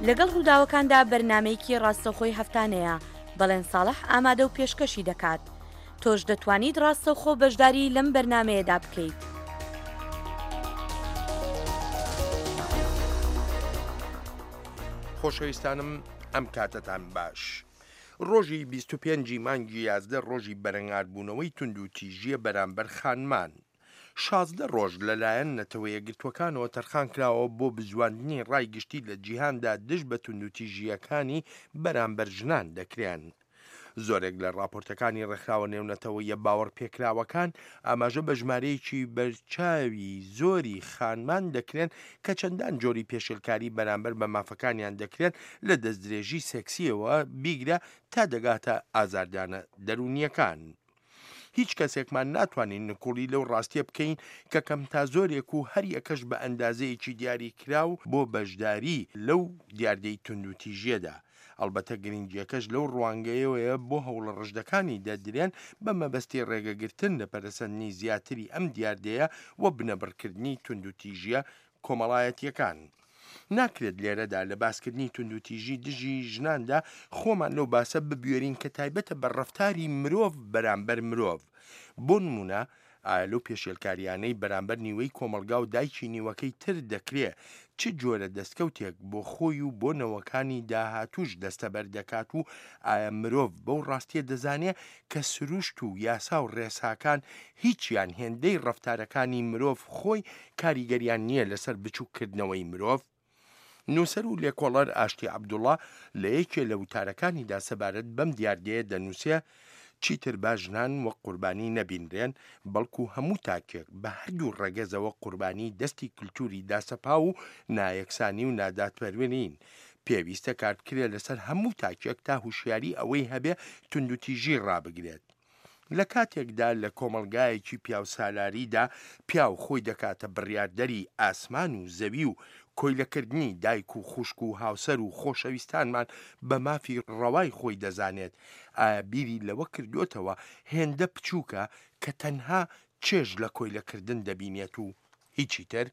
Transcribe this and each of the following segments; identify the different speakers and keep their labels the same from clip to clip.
Speaker 1: لەگەڵ ڕووداوەکاندا بەرنامەیەکی ڕاستەوخۆی هەفتانەیە، بەڵێن ساڵح ئامادە و پێشکەشی دەکات. تۆش دەتوانیت ڕاستەوخۆ بەشداری لەم بەرنامەیەدا بکەیت.
Speaker 2: خۆشەویستانم ئەم کاتەتان باش. ڕۆژی 25 ی مانگی 11 ڕۆژی بەرەنگاربوونەوەی توندوتیژییە بەرامبەر خانمان. 16 ڕۆژ لەلایەن نەتەوەیەکگرتووەکانەوە تەرخانکراوە بۆ بزواندنی ڕای گشتی لە جیهاندا دژ بە توندوتیژییەکانی بەرامبەر ژنان دەکرێن. زۆرێک لە ڕاپۆرتەکانی ڕێکخراوە نێونەتەوەییە باوەڕپێکراوەکان ئاماژە بە ژمارەیەکی بەرچاوی زۆری خانمان دەکرێن کە چەندان جۆری پێشێلکاری بەرامبەر بە مافەکانیان دەکرێن لە دەستدرێژی سێکسییەوە بیگرە تا دەگاتە ئازاردانە دەروونییەکان. هیچ کەسێکمان ناتوانین نکوڵی لەو ڕاستیە بکەین کە کەم تا زۆرێک و هەریەکەش بە ئەندازەیەکی دیاریکراو بۆ بەشداری لەو دیاردەی توندوتیژیەدا. ئەڵبەتە گرنگیەکەش لەو ڕوانگەیەوەیە بۆ هەوڵە ڕژدەکانی دەدرێن بە مەبەستی ڕێگەگرتن لە پەرەسەندنی زیاتری ئەم دیاردەیە و بنەبڕکردنی توندوتیژیە کۆمەڵایەتیەکان. ناکرێت لێرەدا لە باسکردنی توندوتیژی دژی ژناندا خۆمان لەو باسە ببوێرین کە تایبەتە بە ڕەفتاری مرۆڤ بەرامبەر مرۆڤ. بۆ نموونە ئایا لەو پێشێلکاریانەی بەرامبەر نیوەی کۆمەڵگا و دایکی نیوەکەی تر دەکرێ چ جۆرە دەستکەوتێک بۆ خۆی و بۆ نەوەکانی داهاتووش دەستەبەر دەکات و ئایا مرۆڤ بەو ڕاستیە دەزانێ کە سروشت و یاسا و ڕێساکان هیچیان هێندەی ڕەفتارەکانی مرۆڤ خۆی کاریگەریان نییە لەسەر بچووککردنەوەی مرۆڤ؟ نووسەر و لێکۆڵەر ئاشتی عەبدوڵا لە یەکێ لە وتارەکانیدا سەبارەت بەم دیاردەیە دەنووسێ، چیتر با ژنان وەک قوربانی نەبینرێن، بەڵکو هەموو تاکێک بە هەردوو ڕەگەزەوە قوربانی دەستی کلتوری داسەپاو و نایەکسانی و نادادپەروەرین. پێویستە کاربکرێ لەسەر هەموو تاکێک تا هوشیاری ئەوەی هەبێ توندوتیژی ڕابگرێت. لە کاتێکدا لە کۆمەڵگایەکی پیاوسالاریدا پیاو خۆی دەکاتە بڕیاردەری ئاسمان و زەوی و کۆیلەکردنی دایک و خوشک و هاوسەر و خۆشەویستانمان بە مافی ڕەوای خۆی دەزانێت، ئایا بیری لەوە کردۆتەوە هێندە بچووکە کە تەنها چێژ لە کۆیلەکردن دەبینێت و هیچی تر؟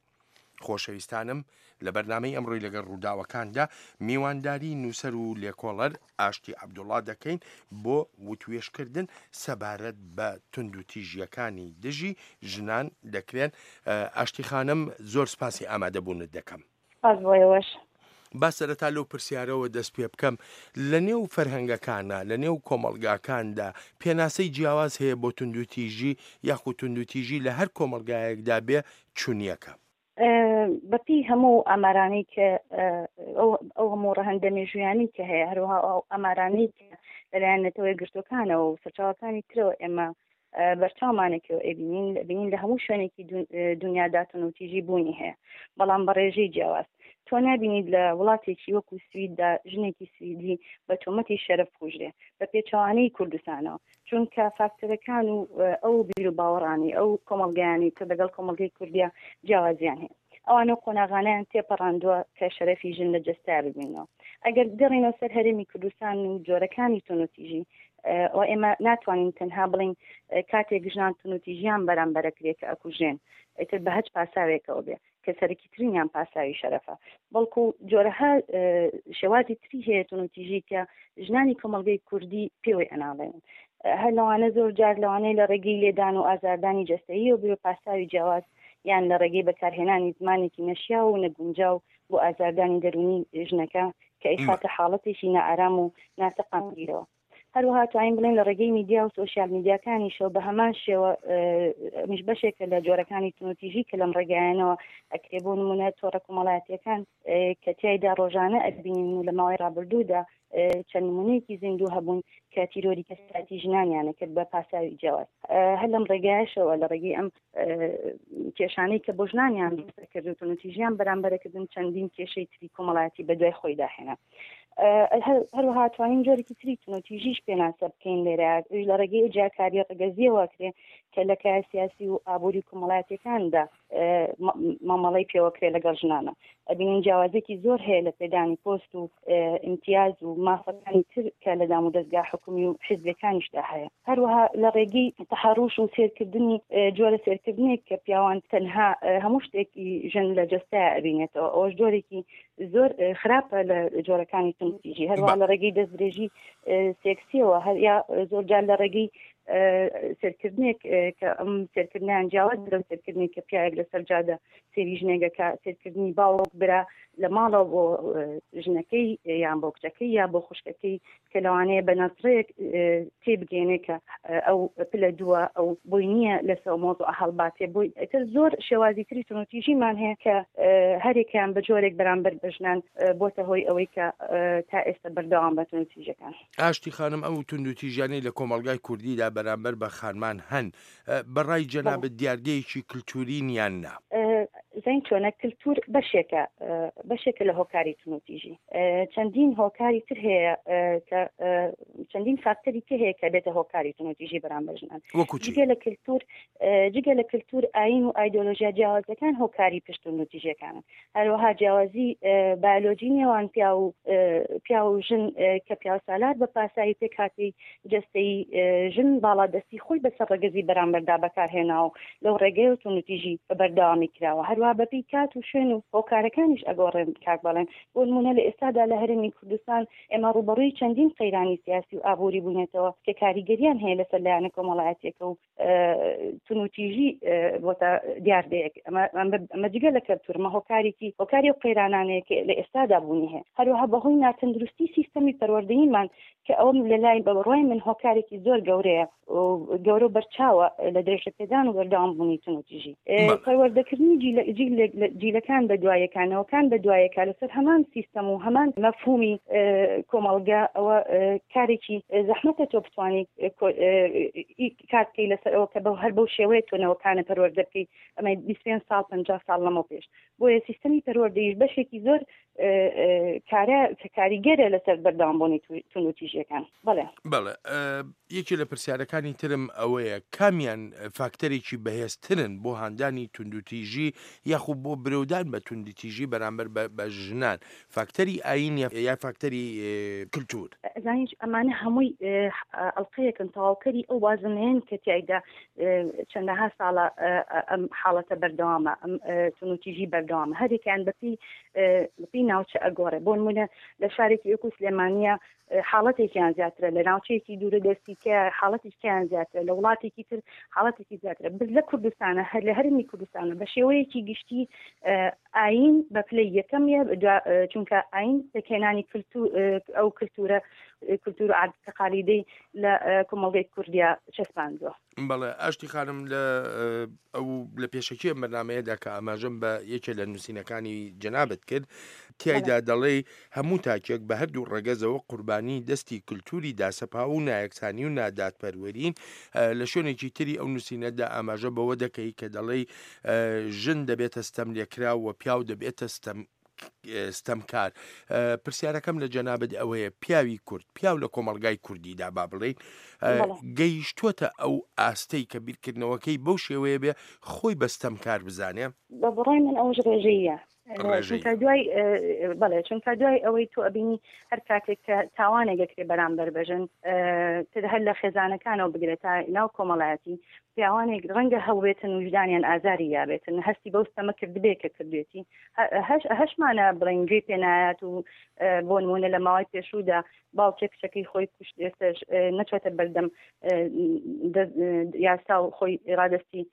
Speaker 2: خۆشەویستانم لە بەرنامەی ئەمڕۆی لەگەڵ ڕووداوەکاندا میوانداری نووسەر و لێکۆڵەر ئاشتی عەبدوڵا دەکەین بۆ وتوێژکردن سەبارەت بە توندوتیژیەکانی دژی ژنان دەکرێن. ئاشتی خانم زۆر سپاسی ئامادەبوونت دەکەم.
Speaker 3: سپاس بۆ ئێوەش.
Speaker 2: با سەرەتا لەو پرسیارەوە دەست پێ بکەم، لە نێو فەرهەنگەکانا، لە نێو کۆمەڵگاکاندا پێناسەی جیاواز هەیە بۆ توندوتیژی یاخود توندوتیژی لە هەر کۆمەڵگایەکدا بێ چونیەکە؟
Speaker 3: بەپێی هەموو ئامارانەی کە ئەو هەموو ڕەهەندە مێژوویانەی کە هەیە، هەروەها ئەو ئامارانەی کە لەلایەن نەتەوە یەکگرتووەکانەوە و سەرچاوەکانی ترەوە ئێمە بەرچاومانێکەوە ئەبینین بینین لە هەموو شوێنێکی دنیادا توندوتیژی بوونی هەیە، بەڵام بە ڕێژەی جیاواز. تۆ نابینیت لە وڵاتێکی وەکو سویددا ژنێکی سویدی بە تۆمەتی شەرەف بکوژرێ، بە پێچەوانەی کوردستانەوە، چونکە فاکتەرەکان و ئەو بیروباوەڕانەی ئەو کۆمەڵگایانەی کە لەگەڵ کۆمەڵگەی کوردیا جیاوازیان هەیە. ئەوان ئەو قۆناغانەیان تێپەڕاندووە کە شەرەفی ژن لە جەستەیا ببیننەوە. ئەگەر بگەڕێینەوە سەر هەرێمی کوردستان و جۆرەکانی توندوتیژی، ئەوە ئێمە ناتوانین تەنها بڵێین کاتێک ژنان توندوتیژیان بەرامبەرەکرێ کە ئەکوژرێن، ئیتر بە هەچ پاساوێکەوە بێ کە سەرەکیترینیان پاساوی شەرەفە، بەڵکو جۆرەها شێوازی تری هەیە توندوتیژی کە ژنانی کۆمەڵگەی کوردی پێوەی ئەناڵێنن. هەر لەوانە زۆر جار لەوانەیە لە ڕێگەی لێدان و ئازاردانی جەستەییەوە بێ پاساوی جیاواز یان لە ڕێگەی بەکارهێنانی زمانێکی نەشیاو و نەگونجاو بۆ ئازاردانی دەروونی ژنەکە کە ئەیخاتە حاڵەتێکی نائارام و ناسەقامگیرەوە. هەروەها توانین بڵێین لە ڕێگەی میدیا و سۆشیال میدیاکانیشەوە بە هەمان شێوە ئەمیش بەشێکە لە جۆرەکانی توندوتیژی کە لەم ڕێگایانەوە ئەکرێ. بۆ نموونە تۆڕە کۆمەڵایەتییەکان کە تیایدا ڕۆژانە ئەبینین و لە ماوەی ڕابردوودا چەند نمونەیەکی زیندوو هەبوون کە تیرۆری کەسایەتی ژنانیانە کرد بە پاساوی جیاواز. هەر لەم ڕێگایەشەوە لە ڕێگەی ئەم کێشانەی کە بۆ ژنانیان دروست کرد و توندوتیژیان بەرامبەرەکردن چەندین کێشەی تری کۆمەڵایەتی بە دوای خۆیدا هێنا. هەروەها توانین جۆرێکی تری توندوتیژیش پێناسە بکەین لێرە، ئەویش لە ڕێگەی جیاکاری ڕەگەزیەوە کرێ کە لە کایە سیاسی و ئابووری کۆمەڵایەتیەکاندا. مامەڵەی پێوەکرێ لەگەڵ ژنانە. ئەبینین جیاوازیەکی زۆر هەیە لە پێدانی پۆست و ئیمتیاز و مافەکانی تر کە لە دامودەزگا حکومی و حیزبیەکانیشدا هەیە. هەروەها لە ڕێگەی تەحەڕوش و سێرکردنی جۆرە سێرکردنێک کە پیاوان تەنها هەموو شتێکی ژن لە جەستەیا ئەبینێتەوە، ئەوەش جۆرێکی زۆر خراپە لە جۆرەکانی توندوتیژی. هەروەها لە ڕێگەی دەستدرێژی سێکسیەوە هەر یا زۆر جار لە ڕێگەی سێرکردنێک کە ئەم سێرکردنیان جیاواز لەو سێرکردنێک کە پیاوێک لەسەر جادە سێری ژنێکەکە، سێرکردنی باوک برا لە ماڵەوە بۆ ژنەکەی یان بۆ کچەکەی یا بۆ خوشکەکەی کە لەوانەیە بە نەزڕێک تێبگەێنێ کە ئەو پلە دووە ئەو بۆی نییە لەسەر مۆزوع هەڵباتێ بۆی. ئیتر زۆر شێوازی تری توندوتیژیمان هەیە کە هەرێکیان بە جۆرێک بەرامبەر بە ژنان بۆتە هۆی ئەوەی کە تا ئێستا بەردەوام بە توندوتیژەکان.
Speaker 2: ئاشتی خانم ئەو توندوتیژیانەی لە کۆمەڵگای کوردیدا بەرامبەر بە خانمان هەن بە ڕای جەنابت دیاردەیەکی کلتورین یان نا؟
Speaker 3: زین چۆنە کلتور بەشێکە بەشێکە لە هۆکاری توندوتیژی. چەندین هۆکاری تر هەیە کە چەندین فاکتەری تر هەیە کە بێتە هۆکاری توندوتیژی بەرامبەر ژنان.
Speaker 2: وەکو چی؟
Speaker 3: جگە لە کلتور جگە لە کلتور ئایین و ئایدۆلۆژیا جیاوازەکان هۆکاری پشت توندوتیژیەکانن. هەروەها جیاوازی بایۆلۆجی نێوان پیاو و پیاو و ژن کە پیاوسالار بە پاساوی پێکهاتەی جەستەیی ژن باڵادەستی خۆی بەسەر ڕەگەزی بەرامبەردا بەکارهێناوە و لەو ڕێگەیەوە توندوتیژی بە بەردەوامی کراوە. هەروەها بەپێی کات و شوێن و هۆکارەکانیش ئەگۆڕێن کاک بەڵێن. بۆ نموونە لە ئێستادا لە هەرێمی کوردستان ئێمە ڕووبەڕووی چەندین قەیرانی سیاسی و ئابووری بووینەتەوە کە کاریگەریان هەیە لەسەر لایەنە کۆمەڵایەتییەکە و تونوتیژی بۆتە دیاردەیەک. ئەمە جگە لە کەلتور، ئەمە هۆکارێکی هۆکاری ئەو قەیرانانەیە کە لە ئێستادا بوونی هەیە. هەروەها بەهۆی ناتەندروستی سیستەمی پەروەردەییمان کە ئەوە لە لای بە بڕوای من هۆکارێکی زۆر گەورەیە گەورە و بەرچاوە لە درێژەپێدان و بەردەوام بوونی تونوتیژی. پەروەردەکردنی جیلەکان بە دوایەکە، نەوەکان بە دوایەکە لەسەر هەمان سیستەم و هەمان مەفهومی کۆمەڵگە، ئەوە کارێکی زەحمەتە تۆ بتوانی کار بکەی لەسەر ئەوە کە بەو هەر بەو شێوەیە تۆ نەوەکانە پەروەردە بکەی ئەمە 25 ساڵ 50 ساڵ لەمەو پێش. بۆیە سیستەمی پەروەردەیش بەشێکی زۆر کارە کە کاریگەرە لەسەر بەردەوامبوونی توندوتیژیەکان. بەڵێ.
Speaker 2: بەڵێ یەکێ لە پرسیارەکانی ترم ئەوەیە کامیان فاکتەرێکی بەهێزترن بۆ هاندانی توندوتیژی یاخود بۆ برەودان بە توندتیژی بەرامبەر بە ژنان، فاکتەری ئایین یا فاکتەری کلتور؟
Speaker 3: ئەزانیت ئەمانە هەمووی ئەڵقەیەکن تەواوکەری ئەو بازنەیەن کە تیایدا چەندەها ساڵە ئەم حاڵەتە بەردەوامە، ئەم توندوتیژی بەردەوامە. هەرێکیان بەپێی بەپێی ناوچە ئەگۆڕێ. بۆ نمونە لە شارێکی وەکو سلێمانیە حاڵەتێکیان زیاترە، لە ناوچەیەکی دوورە دەستی کە حاڵەتێکیان زیاترە، لە وڵاتێکی تر حاڵەتێکی زیاترە. بەس لە کوردستانە، هەر لە هەرێمی کوردستانە بە شێوەیەکی گشتی ئایین بە پلەی یەکەمیە، چونکە ئایین پێکهێنانی کلتور، ئەو کلتورە، کلتور و عادەت تەقالیدەی لە کۆمەڵگەی کوردیا چەسپاندووە.
Speaker 2: بەڵێ ئاشتی خانم، لە ئەو لە پێشەکی ئەم بەرنامەیەدا کە ئاماژەم بە یەکێ لە نووسینەکانی جەنابت کرد، تیایدا دەڵێی هەموو تاکێک بە هەردوو ڕەگەزەوە قوربانی دەستی کلتوری داسەپاو و نایەکسانی و نادادپەروەرین. لە شوێنێکی تری ئەو نووسینەدا ئاماژە بەوە دەکەی کە دەڵێی ژن دەبێتە ستەملێکراو و پیاو دەبێتە ستەم ستەمکار. پرسیارەکەم لە جەنابت ئەوەیە پیاوی کورد، پیاو لە کۆمەڵگای کوردیدا با بڵێین گەیشتووەتە ئەو ئاستەی کە بیرکردنەوەکەی بەو شێوەیە بێ خۆی بە ستەمکار بزانێ؟
Speaker 3: بە بڕای من ئەوەش ڕێژەییە. چونکە دوای بەڵێ چونکە دوای ئەوەی تۆ ئەبینی هەر کاتێک کە تاوانێک دەکرێت بەرامبەر بەژن تر هەر لە خێزانەکانەوە بگرێت تا ناو کۆمەڵایەتی، پیاوانێک ڕەنگە هەڵبێتن وژدانیان ئازاری یابێتن، هەستی بەو ستەمە کردبێ کە کردوێتی، هەشمانە بڵێن گوێی پێنایات و بۆ نمونە لە ماوەی پێشوودا باوکێک کچەکەی خۆی کوشت، ئێستاش نەچۆتە بەردەم یاسا و خۆی ڕادەستی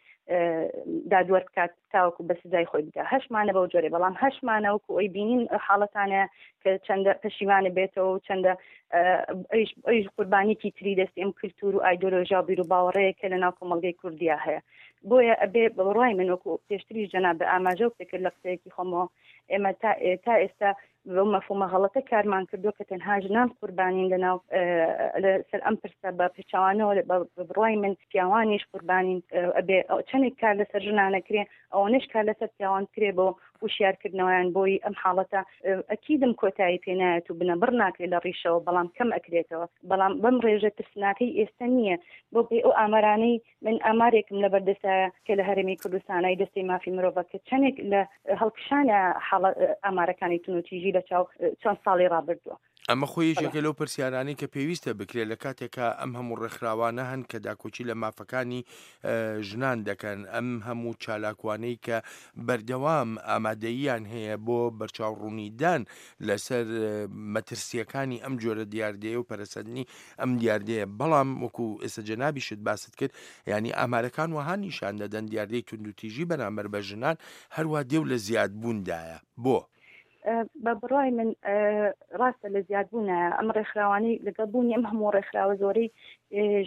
Speaker 3: دادوەر بکات تاوەکو بە سزای خۆی بگا. هەشمانە بەو جۆرێ، بەڵام هەشمانە وەکو ئەوی بینین حاڵەتانە کە چەندە پەشیمانە بێتەوە و چەندە ئەویش قوربانیکی تری دەستی ئەم کللتور و ئایدۆلۆژیا و بیروباوەڕەیە کە لە ناو کۆمەڵگەی کوردیا هەیە. بۆیە ئەبێ بە بڕوای من وەکو پێشتریش جەناب ئاماژە و پێکرد لە قسەیەکی خۆمەوە، ئێمە تا ئێستا بەو مەفهومە غەڵەتە کارمان کردووە کە تەنها ژنان قوربانین لەناو لەسەر ئەم پرسە، بە پێچەوانەوە بە بڕوای من پیاوانیش قوربانین. ئەبێ چەندێک کار لەسەر ژنان ئەکرێ ئەوەنەش کار لەسەر پیاوان بکرێ بۆ وشیارکردنەوەیان بۆی ئەم حاڵەتە ئەکیدم کۆتایی پێ نایەت و بنەبڕ ناکرێت لە ڕیشەوە، بەڵام کەم ئەکرێتەوە، بەڵام بەم ڕێژە ترسناکەی ئێستا نییە. بۆ پێی ئەو ئامارانەی من ئامارێکم لەبەردەستایە کە لە هەرێمی کوردستانای دەستەی مافی مرۆڤە کە چەندێک لە هەڵکشانە حاڵە ئامارەکانی توندوتیژی لە چاو چەند ساڵی ڕابردووە.
Speaker 2: ئەمە خۆی یەکێکە لەو پرسیارانەی کە پێویستە بکرێت لە کاتێکا ئەم هەموو ڕێکخراوانە هەن کە داکۆکی لە مافەکانی ژنان دەکەن، ئەم هەموو چالاکوانەی کە بەردەوام ئامادەییان هەیە بۆ بەرچاوڕوونیدان لەسەر مەترسییەکانی ئەم جۆرە دیاردەیە و پەرەسەندنی ئەم دیاردەیە، بەڵام وەکو ئێستا جەنابیشت باست کرد یانی ئامارەکان وەها نیشان دەدەن دیاردەی توندوتیژی بەرامبەر بە ژنان هەروا دێو لە زیادبووندایە، بۆ؟
Speaker 3: بە بڕای من ڕاستە لە زیادبوونە ئەم ڕێکخراوانەی لەگەڵ بوونی ئەم هەموو ڕێکخراوە زۆرەی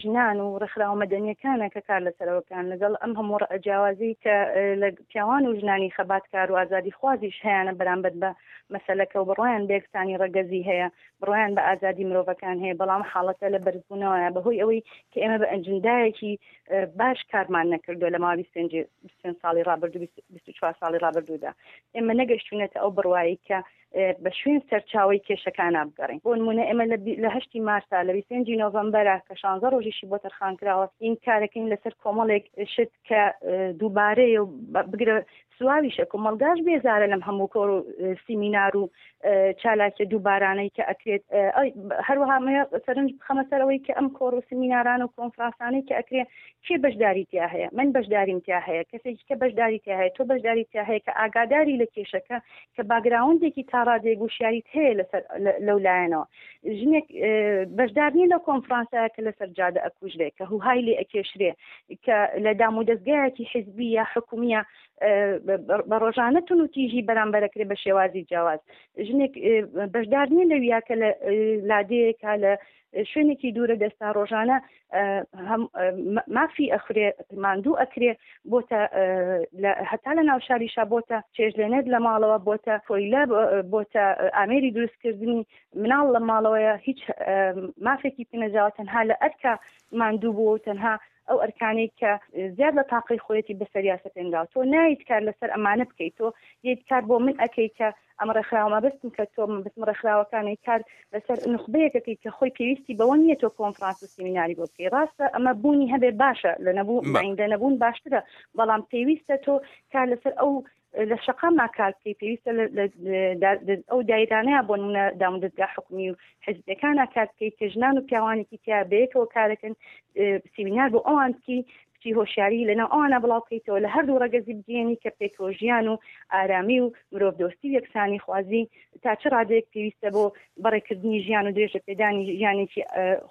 Speaker 3: ژنان و ڕێکخراوە مەدەنیەکانە کە کار لەسەرەوەکان لەگەڵ ئەم هەموو جیاوازی کە لە پیاوان و ژنانی خەباتکار و ئازادی خوازیش هەیەە بەرامبەر بە مەسەلەکە و بڕوایان بە یەکسانی ڕەگەزی هەیە بڕوایان بە ئازادی مرۆڤەکان هەیە، بەڵام حاڵەتە لە بەرزبوونەوەیە بەهۆی ئەوەی کە ئێمە بە ئەنجندایەکی باش کارمان نەکردووە لە ماوەی 25 ساڵی ڕابردوو 24 ساڵی ڕابردوودا ئێمە نەگەشتوینەتە ئەو بڕوایی کە بە شوێن سەرچاوەی کێشەکانە بگەڕین. بۆ نمونە ئێمە لە هەشتی مارسا لە 25 نۆڤەمبەرە کە 16 ڕۆژیشی بۆ تەرخان کراوە این کارەکەین لەسەر کۆمەڵێک شت کە دووبارەیە و بگرە سواویشە، کۆمەڵگاش بێزارە لەم هەموو کۆڕ و سیمینار و چالاکیە دووبارانەی کە ئەکرێت. هەروەها سەرنج بخەمە سەر ئەوەی کە ئەم کۆڕ و سیمیناران و کۆنفرانسانەی کە ئەکرێ کێ بەشداری تیا هەیە؟ من بەشداریم تیا هەیە، کەسێکی کە بەشداری تیا هەیە، تۆ بەشداری تیا هەیە کە ئاگاداری لە کێشەکە، کە باگراوندێکی تا ڕادەیەک وشیاریت هەیە لەسەر لەو لایەنەوە. ژنێک بەشدار نییە لەو کۆنفرانسە کە لەسەر جادە ئەکوژرێ، کە هوهای لێ ئەکێشرێ، کە لە دامودەزگایەکی حیزبی یا حکومیە بە ڕۆژانە تون و تیژی بەرامبەرەکرێ بە شێوازی جیاواز. ژنێک بەشدار نییە لەویا کە لە لادێیەکە لە شوێنێکی دوورە دەستا ڕۆژانە مافی ئەخورێ، ماندوو ئەکرێ، بۆتە هەتا لە ناو شاریشا بۆتە چێژلێنەر لە ماڵەوە، بۆتە کۆیلە، بۆتە ئامێری دروستکردنی مناڵ لە ماڵەوەیە، هیچ مافێکی پێنەدراوە، تەنها لە ئەرکە ماندوو بووە و تەنها ئەو ئەرکانەی کە زیاد لە تاقەی خۆیەتی بەسەریا سەپێنراوە. تۆ نایت کار لەسەر ئەمانە بکەیت، تۆ یەیت کار بۆ من ئەکەی کە ئەم ڕێکخراوە، مەبەستم کە تۆ مەبەستم ڕێکخراوەکانی کار لەسەر نوخبەیەکەکەی کە خۆی پێویستی بەوە نییە تۆ کۆنفرانس و سیمیناری بۆ بکەی. ڕاستە ئەمە بوونی هەبێ باشە، لە نەبوو لە نەبوون باشترە، بەڵام پێویستە تۆ کار لەسەر ئەو لە شەقامما کار بکەی، پێویستە ئەو دایرانەیە بۆ نمونە دامودەزگا حکومی و حزبەکانە کار بکەیت کە ژنان و پیاوانێکی تیا بەیەکەوە کارەکەن، سیمینار بۆ ئەوان بکەی، بچی هۆشیاری لەناو ئەوانە بڵاو بکەیتەوە، لە هەردوو ڕەگەزی بگەیەنی کە پێکەوە ژیان و ئارامی و مرۆڤدۆستی و یەکسانی خوازی تا چ ڕادەیەک پێویستە بۆ بەڕێکردنی ژیان و درێژە پێدانی ژیانێکی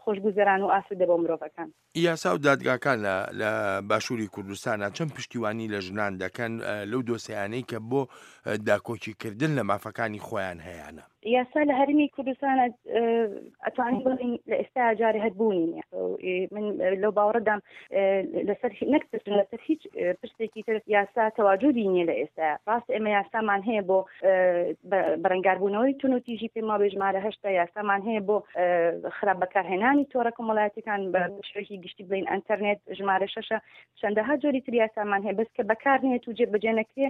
Speaker 3: خۆشگوزەران و ئاسوودە بۆ مرۆڤەکان.
Speaker 2: یاسا و دادگاکان لە لە باشووری کوردستانا چەند پشتیوانی لە ژنان دەکەن لەو دۆسیانەی کە بۆ داکۆکی کردن لە مافەکانی خۆیان هەیانە؟
Speaker 3: یاسا لە هەرێمی کوردستان ئەتوانین بڵێین لە ئێستا جارێ هەر بوونی نییە. من لەو باوەڕەدام لەسەر نەک پرس لەسەر هیچ پرسێکی تر یاسا تەواجودی نییە لە ئێستا. ڕاست ئێمە یاسامان هەیە بۆ بەرەنگاربوونەوەی توندوتیژی، پێم وابێ ژمارە هەشتا یاسامان هەیە بۆ خراپ بەکارهێنانی تۆڕە کۆمەڵایەتیەکان بە شێوەیەکی گشتی بڵێین ئەنتەرنێت ژمارە شەشە، چەندەها جۆری تر یاسامان هەیە بەس کە بەکار نێت و جێبەجێ نەکرێ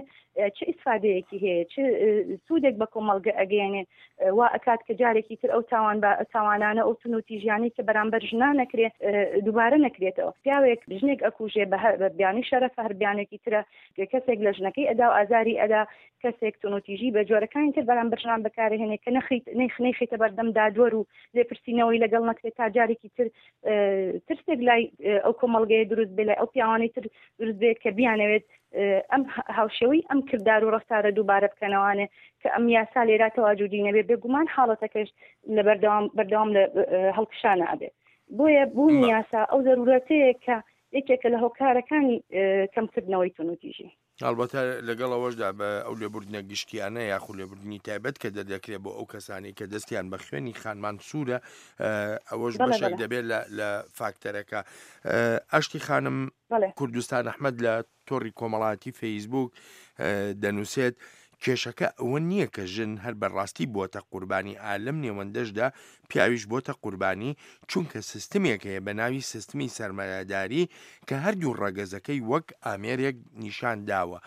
Speaker 3: چ ئیسفادەیەکی هەیە، چ سوودێک بە کۆمەڵگە ئەگەیەنێ؟ وا ئەکات کە جارێکی تر ئەو تاوان بە تاوانانە ئەو توندوتیژیانەی کە بەرامبەر ژنان نەکرێ دووبارە نەکرێتەوە. پیاوێک ژنێک ئەکوژێ بە بیانوی شەرەفە، هەر بیانوێکی ترە، کەسێک لە ژنەکەی ئەدا و ئازاری ئەدا، کەسێک توندوتیژی بە جۆرەکانی تر بەرامبەر ژنان بەکارهێنێ کە نەخیت نەیخەیتە بەردەم دادوەر و لێپرسینەوەی لەگەڵ نەکرێت تا جارێکی تر ترسێک لای ئەو کۆمەڵگەیە دروست بێ، لای ئەو پیاوانەی تر دروست بێت کە بیانەوێت ئەم هاوشێوەی ئەم کردار و ڕەفتارە دووبارە بکەنەوانێ. کە ئەم یاسا لێرا تەواجودی نەبێ بێگومان حاڵەتەکەش لە بەردەوام بەردەوام لە هەڵکشانە ئەبێ. بۆیە بوونی یاسا ئەو زەرورەتەیە کە یەکێکە لە هۆکارەکانی کەمکردنەوەی توندوتیژی.
Speaker 2: هەڵبەتە لەگەڵ ئەوەشدا بە ئەو لێبوردنە گشتیانە یاخو لێبوردنی تایبەت کە دەردەکرێت بۆ ئەو کەسانی کە دەستیان بە خوێنی خانمان سوورە، ئەوەش بەشێک دەبێت لە فاکتەرەکە. ئاشتی خانم، کوردستان ئەحمد لە تۆڕی کۆمەڵاتی فەیسبوک دەنووسێت. کێشەکە ئەوە نییە کە ژن هەر بە ڕاستی بۆتە قوربانی ئا لەم نێوەندەشدا پیاویش بۆتە قوربانی چونکە سیستمێک هەیە بە ناوی سیستمی سەرمایەداری کە هەردوو ڕەگەزەکەی وەک ئامێرێک نیشان داوە.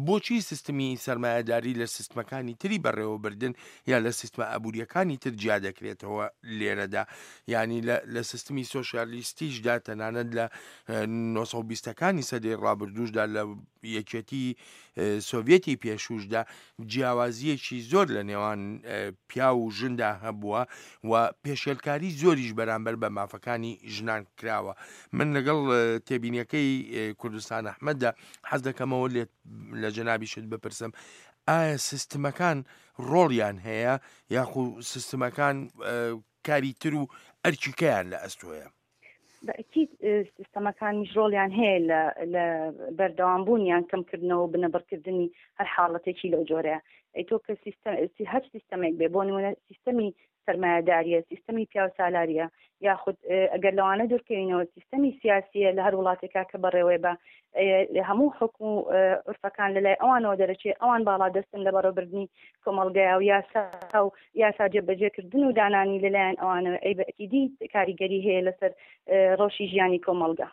Speaker 2: بۆچی سیستمی سەرمایەداری لە سیستمەکانی تری بەڕێوەبردن یا لە سیستمە ئابووریەکانی تر جیا دەکرێتەوە لێرەدا؟ یانی لە سیستمی سۆسیالیستیشدا تەنانەت لە 1920ەکانی سەدەی ڕابردووشدا لە یەکێتی سۆڤیەتی پێشووشدا جیاوازییەکی زۆر لە نێوان پیاو و ژندا هەبووە و پێشێلکاری زۆریش بەرامبەر بە مافەکانی ژنان کراوە. من لەگەڵ تێبینیەکەی کوردستان ئەحمەددا حەز دەکەمەوە لێت لە جەنابیشت بپرسم ئایا سیستمەکان ڕۆڵیان هەیە یاخو سیستمەکان کاری تر و ئەرکیکەیان لە ئەستۆیە؟
Speaker 3: بەئەکید سیستەمەکانیش ڕۆڵیان هەیە لە لە بەردەوامبوون یان کەمکردنەوە و بنەبڕکردنی هەر حاڵەتێکی لەو جۆرەیە. ئەی تۆ کە سیستەم هەر سیستەمێک بێ بۆ نمونە سیستەمی سەرمایەداریە، سیستەمی پیاوسالاریە یاخود ئەگەر لەوانە دوورکەوینەوە سیستەمی سیاسیە لە هەر وڵاتێکا کە بەڕێوەی بە هەموو حکم و عورفەکان لەلای ئەوانەوە دەرەچێ ئەوان باڵا دەستن لە بەڕێوەبردنی کۆمەڵگەیا و یاسا و یاسا جێبەجێکردن و دانانی لەلایەن ئەوانەوە ئەی بەئەکیدی کاریگەری هەیە لەسەر ڕەوشی ژیانی کۆمەڵگە.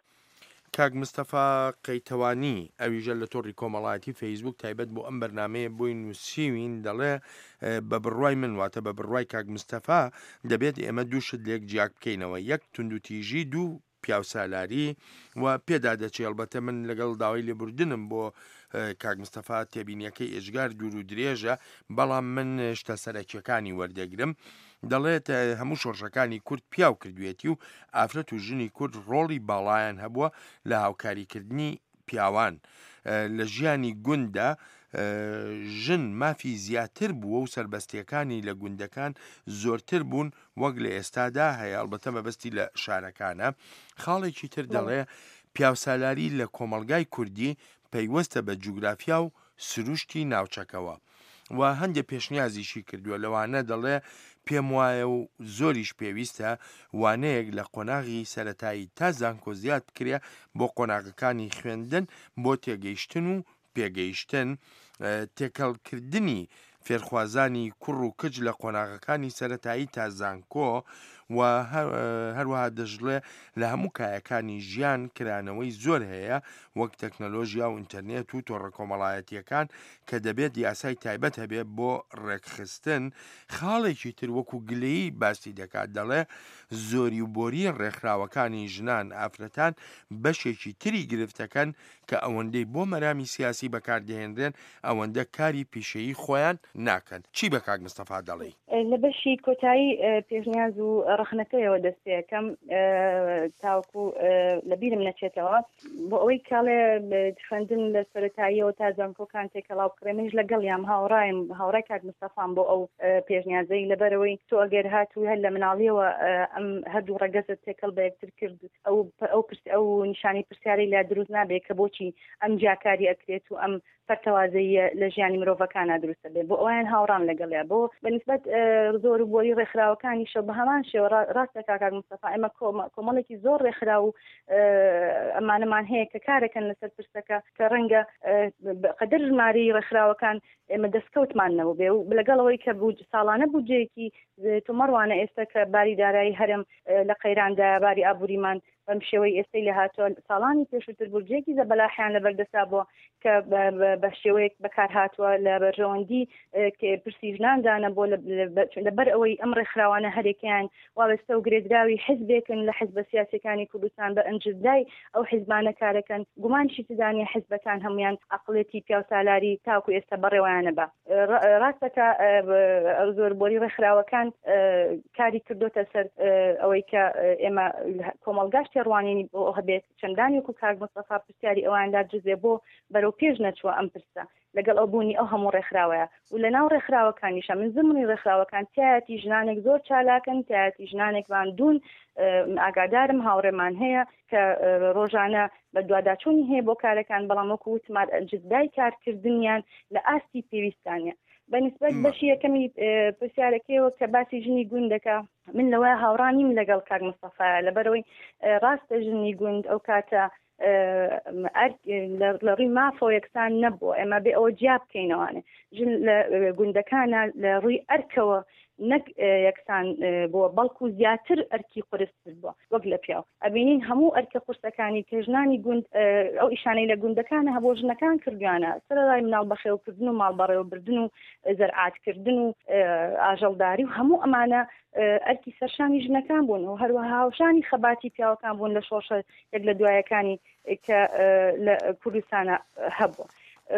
Speaker 2: کاک مستەفا قەیتەوانی ئەویژە لە تۆڕی کۆمەڵایەتی فەیسبوک تایبەت بۆ ئەم بەرنامەیە بۆی نووسیوین دەڵێ بە بڕوای من واتە بە بڕوای کاک مستەفا دەبێت ئێمە دوو شت لێک جیاک بکەینەوە یەک توندوتیژی دوو پیاوسالاری و پێدا دەچێ ئەڵبەتە من لەگەڵ داوای لێبوردنم بۆ کاک مستەفا تێبینیەکەی ئێجگار دوور و درێژە بەڵام من شتە سەرەکیەکانی وەردەگرم دەڵێت هەموو شۆڕشەکانی کورد پیاو کردوێتی و ئافرەت و ژنی کورد ڕۆڵی باڵایان هەبووە لە هاوکاریکردنی پیاوان لە ژیانی گونددا ژن مافی زیاتر بووە و سەربەستیەکانی لە گوندەکان زۆرتر بوون وەک لە ئێستادا هەیە ئەڵبەتە مەبەستی لە شارەکانە خاڵێکی تر دەڵێ پیاوسالاری لە کۆمەڵگای کوردی پەیوەستە بە جوگرافیا و سروشتی ناوچەکەوە و هەندێک پێشنیازیشی کردووە لەوانە دەڵێ پێم وایە و زۆریش پێویستە وانەیەک لە قۆناغی سەتایی تا زانکۆ زیاد بکرێ بۆ قۆناغەکانی خوێندن بۆ تێگەیشتن و پێگەیشتن، تێکەڵکردنی فێرخوازانی کوڕ و کچ لە قۆناغەکانی سەرەتایی تا زانکۆ و هەروەها دەشڵێ لە هەموو کایەکانی ژیان کرانەوەی زۆر هەیە وەک تەکنەلۆژیا و ئینتەرنێت و تۆڕە کۆمەڵایەتییەکان کە دەبێت یاسای تایبەت هەبێت بۆ ڕێکخستن خاڵێکی تر وەکو گلەیی باسی دەکات دەڵێ زۆری و بۆری ڕێکخراوەکانی ژنان ئافرەتان بەشێکی تری گرفتەکەن کە ئەوەندەی بۆ مەرامی سیاسی بەکاردەهێنرێن ئەوەندە کاری پیشەیی خۆیان ناکەن. چی بە کاک مستەفا دەڵێی؟
Speaker 3: لە بەشی کۆتایی پێشنیاز و ڕەخنەکەیەوە دەست پێکەم تاوەکو لە بیرم نەچێتەوە بۆ ئەوەی کاڵێ خوێندن لە سەرەتاییەوە تا زانکۆکان تێکەڵاو بکرێ منیش لەگەڵیام هاوڕایم هاوڕای کاک مستەفام بۆ ئەو پێشنیازەی لەبەرەوەی تۆ ئەگەر هاتوو هەر لە مناڵیەوە ئەم هەردوو ڕەگەزت تێکەڵ بە یەکتر کرد ئەو ئەو پرس ئەو نیشانەی پرسیارەی لا دروست نابێت کە بۆچی ئەم جیاکاری ئەکرێت و ئەم پەرتەوازەییە لە ژیانی مرۆڤەکانا دروست ئەبێت بۆ ئەویان هاوڕام لەگەڵیا بۆ بە نیسبەت زۆر و بۆری ڕێکخراوەکانیشەوە بە هەمان شێوە ڕاست دەکا کاک مستەفا ئێمە کۆمەڵێکی زۆر ڕێکخراو و ئەمانەمان هەیە کە کارەکەن لەسەر پرسەکە کە ڕەنگە قەدەر ژمارەی ڕێکخراوەکان ئێمە دەستکەوتمان نەبووبێ و لەگەڵ ئەوەی کە ساڵانە بودجەیەکی تۆمەڕوانە ئێستا کە باری دارایی هەرێم لە قەیراندایە باری ئابووریمان بەم شێوەی ئێستەی لێ هاتووە ساڵانی پێشووتر بودجەیەکی زەبەلاحیان لەبەردەستا بووە کە بە شێوەیەک بەکار هاتووە لە بەرژەوەندی پرسی ژناندا نەبووە لەبەر ئەوەی ئەم ڕێکخراوانە هەرێکیان واوێستە و گرێدراوی حزبێکن لە حزبە سیاسەکانی کوردستان بە ئەنجدای ئەو حزبانە کارەکەن گومانشی تدانە حزبەکان هەمویان عقلێتی پیاوسالاری تاکو ئێستا بەڕێوەیانە بە ڕاستە کە زۆر بۆری ڕێکخراوەکان کاری کردوتە سەر ئەوەی کە ئێمە کۆمەڵگاش تێڕوانینی بۆ هەبێت چەندانی وەکو کاک مستەفا پرسیاری ئەواندا جزێ بۆ بەرەو پێش نەچووە ئەم پرسە لەگەڵ ئەو بوونی ئەو هەموو ڕێکخراوەیە و لە ناو ڕێکخراوەکانیشە من زمنی ڕێکخراوەکان تایەتی ژنانێک زۆر چالاکن تایەتی ژنانێک ماندوون ئاگادارم هاوڕێمان هەیە کە ڕۆژانە بەدواداچوونی هەیە بۆ کارەکان، بەڵام وەکو وتمات جدای کارکردنیان لە ئاستی پێویستانە. بە نسبەت بەشی یەکەمی پرسیارەکەیەوە کە باسی ژنی گوند دەکا، من لەوە هاوڕا نیم لەگەڵ کاک مستەفا، لەبەرئەوەی ڕاستە ژنی گوند ئەو کاتە لە ڕووی مافەوە یەکسان نەبووە ئێمە بێ ئەوە جیا بکەینەوانێ ژن لە گوندەکانە لە ڕووی ئەرکەوە نەک یەکسان بووە بەڵکو زیاتر ئەرکی قورستر بووە وەک لە پیاو ئەبینین هەموو ئەرکە قورسەکانی کە ژنانی گوند ئەو ئیشانەی لە گوندەکانە هەبوو ژنەکان کردویانە سەرەڕای مناڵ بەخێوکردن و ماڵ بەڕێوەبردن و زەرعاتکردن و ئاژەڵداری و هەموو ئەمانە ئەرکی سەرشانی ژنەکان بوون و هەروەها هاوشانی خەباتی پیاوەکان بوون لە شۆڕشە یەک لە دوایەکانی کە لە کوردستانە هەبوو.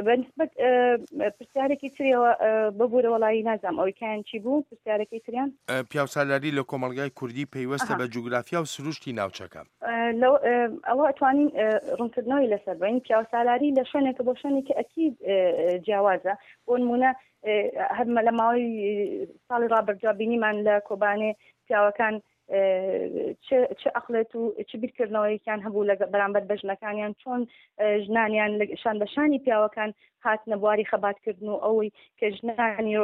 Speaker 3: بەنسبەت پرسیارێکی تریەوە ببوورە وەڵایی نازانم ئەوەی کایان چی بوو پرسیارەکەی تریان؟
Speaker 2: پیاوسالاری لە کۆمەڵگای کوردی پەیوەستە بە جوگرافیا و سروشتی ناوچەکە.
Speaker 3: ئەوە ئەتوانین ڕوونکردنەوەی لەسەر بین پیاوسالاری لە شوێنێکە بۆ شوێنێکی ئەکید جیاوازە بۆ نمونە هەر لە ماوەی ساڵی ڕابردووە بینیمان لە کۆبانێ پیاوەکان چ ئەقلێت و چ بیرکردنەوەیەکیان هەبوو لە بەرامبەر بە ژنەکانیان چۆن ژنانیان شان بە شانی پیاوەکان هاتنە بواری خەباتکردن و ئەوەی کە ژنانی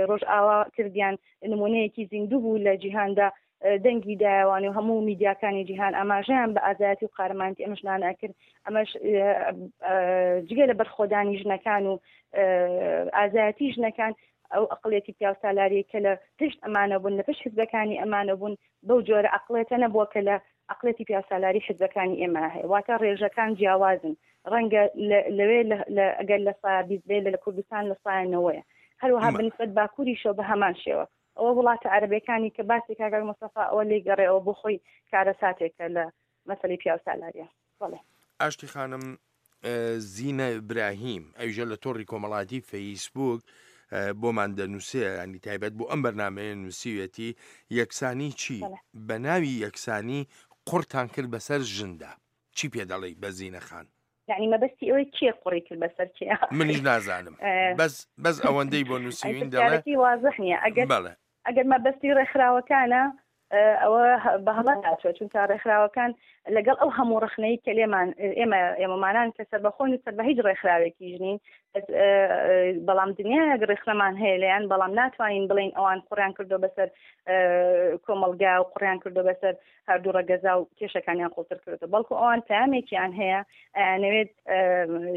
Speaker 3: ڕۆژئاوا کردیان نمونەیەکی زیندوو بوو لە جیهاندا دەنگی دایەوان و هەموو میدیاکانی جیهان ئاماژەیان بە ئازایەتی و قارەمانتی ئەم ژنانە ئەکرد ئەمەش جگە لە بەرخۆدانی ژنەکان و ئازایەتی ژنەکان ئەو ئەقڵیەتی پیاوسالاریەی کە لە پشت ئەمانە بوون، لە پشت حزبەکانی ئەمانە بوون، بەو جۆرە ئەقڵێتە نەبووە کە لە ئەقڵێتی پیاوسالاری حزبەکانی ئێمە هەیە. واتە ڕێژەکان جیاوازن. ڕەنگە لەوێ ئەگەر لە سایە 20 بێ لە کوردستان لە سایە نەوەیە. هەروەها بە نیسبەت باکووریشەوە بە هەمان شێوە. ئەوە وڵاتە عەرەبیەکانی کە باسی کاک مستەفا ئەوە لێی گەڕێ ئەوە بۆ خۆی کارەساتێکە لە مەسەلەی پیاوسالاریە. بەڵێ.
Speaker 2: ئاشتی خانم زینە ئیبراهیم ئەویشە لە تۆڕی کۆمەڵاتی فەیسبوک بۆمان دەنووسێ ینی تایبەت بۆ ئەم بەرنمەیە نووسیوێتی یەکسانی چی بە ناوی یەکسانی قڕتان کرد بەسەر ژندا چی پێ دەڵێی بە زینە خان؟
Speaker 3: یعنی مەبەستی ئەوەی کێ قوڕی کرد بەسەر کێ؟
Speaker 2: منیش نازانم بەس بەس ئەوەندەی بۆ نووسیوین دەڵێ
Speaker 3: وازح نییە ئەگەر
Speaker 2: بەڵێ
Speaker 3: ئەگەر مەبەستی ڕێکخراوەکانە ئەوە بە هەڵە هاتووە چونکە ڕێکخراوەکان لەگەڵ ئەو هەموو ڕخنەی کە لێمان ئێمە ئێمەمانان کە سەربەخۆن و سەر بە هیچ ڕێکخراوێکیش نین بەڵام دنیایەک ڕێکخرەمان هەیە لێیان بەڵام ناتوانین بڵین ئەوان قڕیان کردو بەسەر کۆمەڵگا و قڕیان کردو بەسەر هەردوو ڕەگەزا و کێشەکانیان قوڵتر کردو بەڵکو ئەوان پامێکیان هەیە ئەیانەوێت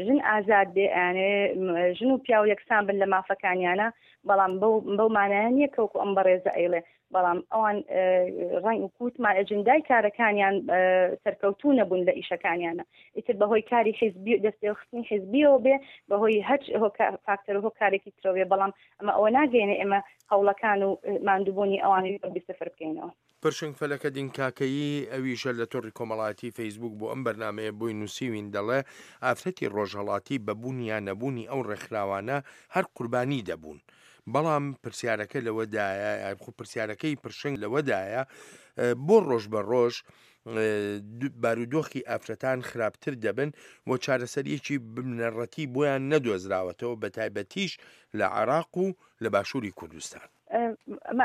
Speaker 3: ژن ئازاد بێ ئەیانەوێت ژن و پیاو یەکسان بن لە مافەکانیانە بەڵام بەو مانایە نییە کەوکو ئەم بەڕێزە ئەیڵێ بەڵام ئەوان ڕەنگ و کوتمان ئەجندای کارەکانیان سەرکەوتوو نەبوون لە ئیشەکانیانە ئیتر بەهۆی کاری حیزبی دەستێخستنی حیزبیەوە بێ بەهۆی هەچ فاکتەر و هۆکارێکی ترەوە بێ بەڵام ئەمە ئەوە ناگەێنێ ئێمە هەوڵەکان و ماندووبوونی ئەوانی بیسفر بکەینەوە.
Speaker 2: پرشنگ فەلەکەدین کاکەیی ئەویشە لە تۆڕی کۆمەڵایەتی فەیسبووک بۆ ئەم بەرنامەیە بۆی نووسیوین دەڵێ ئافرەتی ڕۆژهەڵاتی بە بوون یا نەبوونی ئەو ڕێکخراوانە هەر قوربانی دەبوون بەڵام پرسیارەکە لەوەدایە خۆ پرسیارەکەی پرشنگ لەوەدایە بۆ ڕۆژ بە ڕۆژ بارودۆخی ئافرەتان خراپتر دەبن و چارەسەریەکی بنەڕەتی بۆیان نەدۆزراوەتەوە بە تایبەتیش لە عێراق و لە باشووری کوردستان.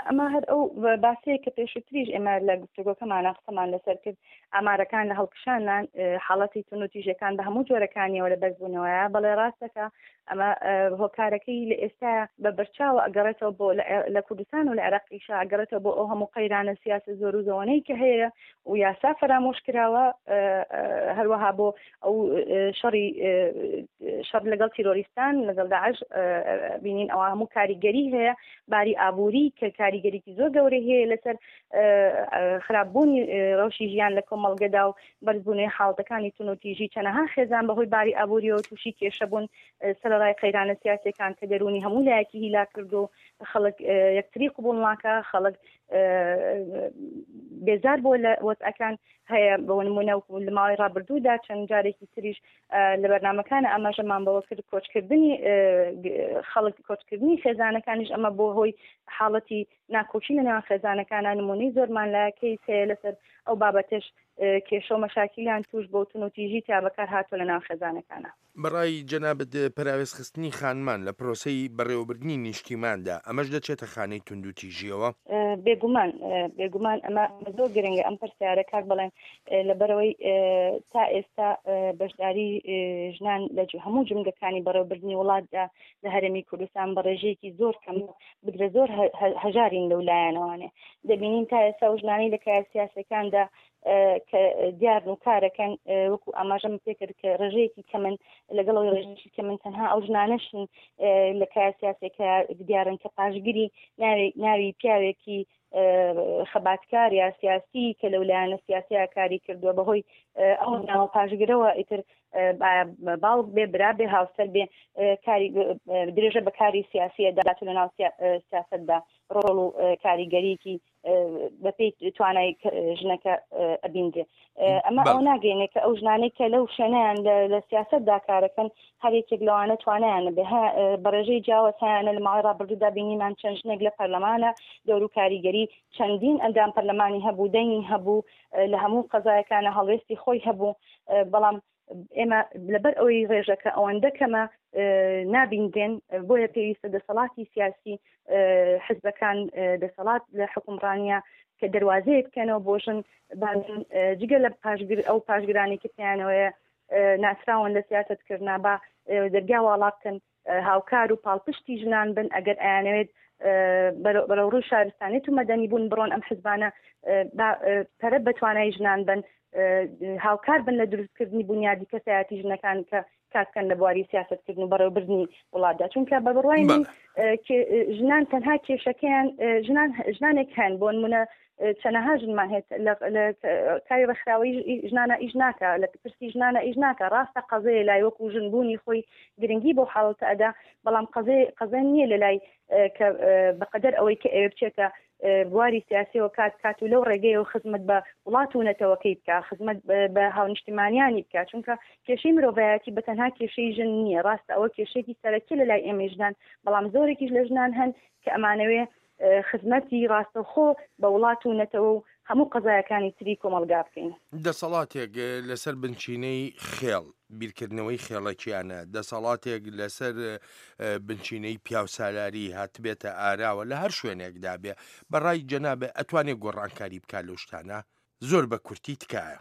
Speaker 3: ئەمە هەر ئەو باسەیە کە پێشووتریش ئێمە لە گفتوگۆکەمانە قسەمان لەسەر کرد ئامارەکان لە هەڵکشانان حاڵەتی توندوتیژەکان بە هەموو جۆرەکانیەوە لە بەرزبوونەوەیە بەڵێ ڕاستەکە ئەمە هۆکارەکەی لە ئێستا بە بەرچاوە ئەگەڕێتەوە بۆ لە کوردستان و لە عێراقیشا ئەگەڕێتەوە بۆ ئەو هەموو قەیرانە سیاسە زۆر و زەوەنەی کە هەیە و یاسا فەرامۆش کراوە هەروەها بۆ ئەو شەڕی شەڕ لەگەڵ تیرۆریستان لەگەڵ داعش بینین ئەوە هەموو کاریگەری هەیە باری ئابووری کە کاریگەریکی زۆر گەورەی هەیە لەسەر خراپبوونی ڕەوشی ژیان لە کۆمەڵگەدا و بەرزبوونەوەی حاڵەتەکانی توندوتیژی چەنەها خێزان بەهۆی باری ئابووریەوە تووشی کێشە بوون سەرەڕای قەیرانە سیاسیەکان کە دەروونی هەموو لایەکی هیلاک کرد و خەڵک یەکتری قبوڵ ناکە خەڵک بێزار بۆ لە وەزعەکان هەیە بۆ نمونە و لە ماوەی ڕابردوودا چەند جارێکی تریش لە بەرنمەکان ئاماژەمان بەوە کرد کۆچکردنی خەڵک کۆچکردنی خێزانەکانیش ئەمە بۆ هۆی حاڵەتی ناکۆکی لە نێوان خێزانەکانە نمونەی زۆرمان لە کەیس هەیە لەسەر ئەو بابەتەش کێشە و مەشاکیلیان توش بۆ توندوتیژی تیا بەکار هاتووە لە ناو خێزانەکانە.
Speaker 2: بەڕای جەنابت پەراوێزخستنی خانمان لە پرۆسەی بەڕێوەبردنی نیشتیماندا ئەمەش دەچێتە خانەی توندوتیژیەوە؟
Speaker 3: بێگومان بێگومان ئەمە زۆر گرنگە ئەم پرسیارە کاک بەڵێن. لەبەرەوەی تا ئێستا بەشداری ژنان لە هەموو جمگەکانی بەڕێوەبردنی وڵاتدا لە هەرێمی کوردستان بە ڕێژەیەکی زۆر کەم بگرە زۆر هەژارین لەو لایەنەوانێ دەبینین تا ئێستا و ژنانی لە کایە سیاسەکاندا کە دیارن و کارەکەن وەکو ئاماژەم پێکرد کە ڕێژەیەکی کەمن لەگەڵەوەی ڕێژەیەکی کەمن تەنها ئەو ژنانەشن لە کایە سیاسەکە دیارن کە پاشگری ناوی پیاوێکی خەباتکار یا سیاسی کە لەو لایەنە سیاسەیە کاری کردووە بەهۆی ئەو ناوە پاشگرەوە ئیتر باوک بێ برا بێ هاوسەر بێ کاری درێژە بە کاری سیاسیە دات لە ناو سیاستدا ڕۆڵ و کاریگەریکی بەپێی توانای ژنەکە ئەبیندرێ ئەمە ئەو ناگەینێ کە ئەو ژنانەی کە لەو شوێنیان لە سیاستدا کارەکەن هەر یەکێک لەوانە توانایان نەبێ بە ڕێژەی جیاواز هەیانە لە ماوەی ڕابردوودا بینیمان چەند ژنێک لە پەرلەمانە دەور و کاریگەری چەندین ئەندام پەرلەمانی هەبوو دەنگی هەبوو لە هەموو قەزایەکانە هەڵوێستی خۆی هەبوو بەڵام ئێمە لەبەر ئەوەی ڕێژەکە ئەوەندە کەمە نابیندرێن بۆیە پێویستە دەسەڵاتی سیاسی حزبەکان دەسەڵات لە حکومڕانیە کە دەواازەیە بکەنەوە بۆ ژن جگە لە پاشگر ئەو پاشگرانی کە پێیانەوەیە ناسراون لە سیاست کردنا با دەرگا واڵا بکەن هاوکار و پاڵپشتی ژنان بن ئەگەر ئەیانەوێت بەرەو ڕووی شارستانێت و مەدەنی بوون بڕۆن ئەم حزبانە پەرە بە توانای ژنان بن هاوکار بن لە دروستکردنی بنیادی کەسایەتی ژنەکان کە کارکەن لە بواری سیاستکردن و بەڕێوەبردنی وڵاتدا چونکە بە بڕوای من ژنان تەنها کێشەکەیان ژنان ژنانێک هەن بۆ نمونە چەنەها ژنمان هەیە لە کاری ڕێکخراوەی ژنانە ئیش ناکە لە پرسی ژنانە ئیش ناکە ڕاستە قەزەیە لای وەکو ژن بوونی خۆی گرنگی بۆ حاڵەتە ئەدا بەڵام قەزێ قەزە نییە لە لای کە بەقەدەر ئەوەی کە ئەوێ بچێتە بواری سیاسیەوە کات کات و لەو ڕێگەیەوە خزمەت بە وڵات و نەتەوەکەی بکە خزمەت بە هاونیشتیمانیانی بکە چونکە کێشەی مرۆڤایەتی بە تەنها کێشەی ژن نییە ڕاستە ئەوە کێشێکی سەرەکی لە لای ئێمەی ژنان بەڵام زۆرێکیش لە ژنان هەن کە ئەمانەوێ خزمەتی ڕاستەوخۆ بە وڵات و نەتەوە و هەموو قەزایەکانی تری کۆمەڵگا بکەین.
Speaker 2: دەسەڵاتێک لەسەر بنچینەی خێڵ، بیرکردنەوەی خێڵەکیانە، دەسەڵاتێک لەسەر بنچینەی پیاوسالاری هاتبێتە ئاراوە لە هەر شوێنێکدا بێ، بە ڕای جەنابت ئەتوانێ گۆڕانکاری بکا لەو شتانە؟ زۆر بە کورتی تکایە.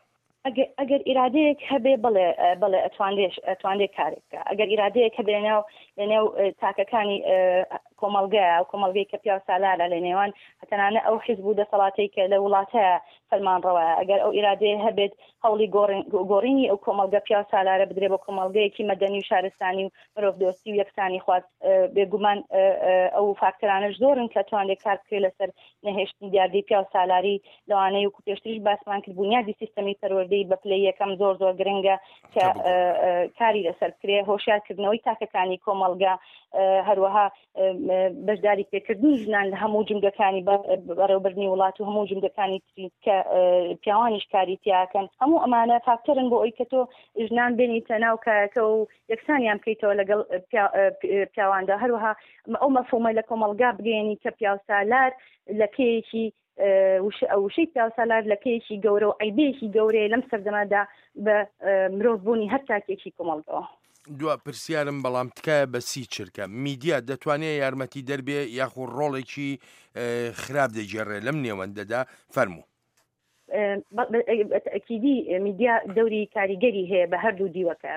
Speaker 3: ئەگەر ئیرادەیەک هەبێ بەڵێ بەڵێ ئەتوانرێ ئەتوانرێ کارێک بکا ئەگەر ئیرادەیەک هەبێ لەناو لەنێو تاکەکانی کۆمەڵگەیە ئەو کۆمەڵگەی کە پیاو سالارە لە نێوان تەنانە ئەو حیزب و دەسەڵاتەی کە لە وڵاتەیە فەرمانڕەوایە ئەگەر ئەو ئیرادەیە هەبێت هەوڵی گۆڕینی ئەو کۆمەڵگە پیاو سالارە بدرێ بۆ کۆمەڵگەیەکی مەدەنی و شارستانی و مرۆڤدۆستی و یەکسانی خواز بێگومان ئەو فاکتەرانەش زۆرن کە توانرێت کار بکرێت لەسەر نەهێشتنی دیاردەی پیاو سالاری لەوانەیە وەکو پێشتریش باسمان کرد بونیادی سیستەمی پەروەردەی بە پلەی یەکەم زۆر زۆر گرنگە کە کاری لەسەر بکرێ هۆشیارکردنەوەی تاکەکانی کۆمەڵگە هەروەها بەشداری پێکردنی ژنان لە هەموو جمگەکانی بەڕێوبردنی وڵات و هەموو جمگەکانی تری کە پیاوانیش کاری تیاکەن هەموو ئەمانە فاکتەرن بۆ ئەوی کە تۆ ژنان بێنیتە ناو کایەکە و یەکسانیان بکەیتەوە لەگەڵ پیاواندا هەروەها ئەو مەفهومە لە کۆمەڵگا بگەیەنی کە پیاوسالار لەکەیەکی وشەی پیاوسالار لەکەیەکی گەورە و عیبەیەکی گەورەیە لەم سەردەمەدا بە مرۆڤ بوونی هەر تاکێکی کۆمەڵگەوە.
Speaker 2: دوا پرسیارم بەڵام تکایە بە سی چرکە میدیا دەتوانێ یارمەتی دەربێ یاخو ڕۆڵێکی خراپ دەگێڕێ لەم نێوەندەدا فەرموو.
Speaker 3: بە تەئکیدی میدیا دەوری کاریگەری هەیە بە هەردوو دیوەکە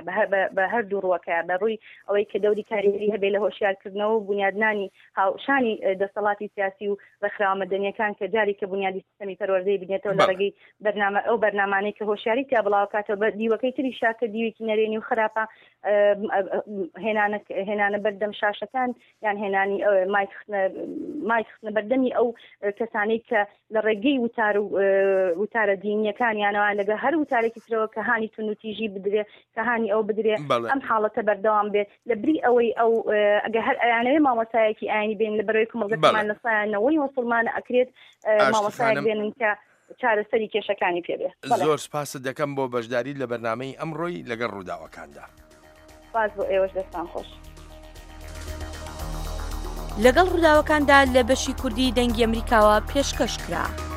Speaker 3: بە هەردوو ڕووەکە بە ڕووی ئەوەی کە دەوری کاریگەری هەبێ لە هۆشیارکردنەوە و بونیادنانی هاوشانی دەسەڵاتی سیاسی و ڕێکخراوە مەدەنیەکان کە جاری کە بونیادی سیستەمی پەروەردەی بنێتەوە لە ڕێگەی بەرنامە ئەو بەرنامانەی کە هۆشیاری تیا بڵاوکاتەوە بە دیوەکەی تریشا کە دیوێکی نەرێنی و خراپە هێنانە هێنانە بەردەم شاشەکان یان هێنانی مایک مایک خستنە بەردەمی ئەو کەسانەی کە لە ڕێگەی وتار و وتارە دینیەکانیانەوە لەگە هەر وتارێکی ترەوە کە هانی توندوتیژی بدرێ کە هانی ئەو بدرێ ئەم حاڵەتە بەردەوام بێت لە بری ئەوەی ئەو ئەگە هەر ئەیانەوێ مامۆستایەکی ئاینی بێن لە بەرەوەی کۆمەڵگەکەمان لە سایە نەوەی موسڵمانە ئەکرێت مامۆستایەک بێنن کە چارەسەری کێشەکانی پێ بێ.
Speaker 2: زۆر سپاست دەکەم بۆ بەشداریت لە بەرنامەی ئەمڕۆی لەگەڵ ڕووداوەکاندا.
Speaker 3: سپاس بۆ ئێوەش دەستان خۆش.
Speaker 1: لەگەڵ ڕووداوەکاندا لە بەشی کوردی دەنگی ئەمریکاوە پێشکەش کرا.